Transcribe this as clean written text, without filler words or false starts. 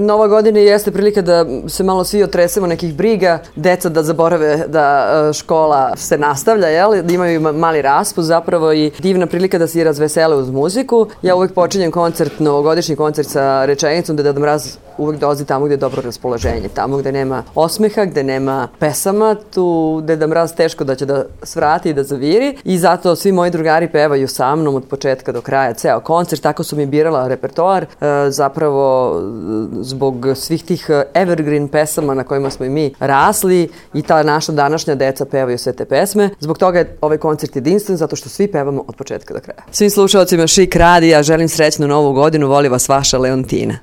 Nova godina jeste prilika da se malo svi otresemo nekih briga, deca da zaborave da škola se nastavlja, da imaju mali raspust zapravo i divna prilika da se razvesele uz muziku. Ja uvek počinjem novogodišnji koncert sa rečenicom da Deda Mraz uvek dolazi tamo gde je dobro raspoloženje, tamo gde nema osmeha, gde nema pesama, tu Deda Mraz teško da će da svrati i da zaviri i zato svi moji drugari pevaju sa mnom od početka do kraja ceo koncert, tako su mi birala repertoar, zapravo zbog svih tih evergreen pesama na kojima smo i mi rasli i ta naša današnja deca pevaju sve te pesme. Zbog toga je ovaj koncert jedinstven, zato što svi pevamo od početka do kraja. Svim slušalcima Šik radija želim srećnu novu godinu, voli vas vaša Leontina.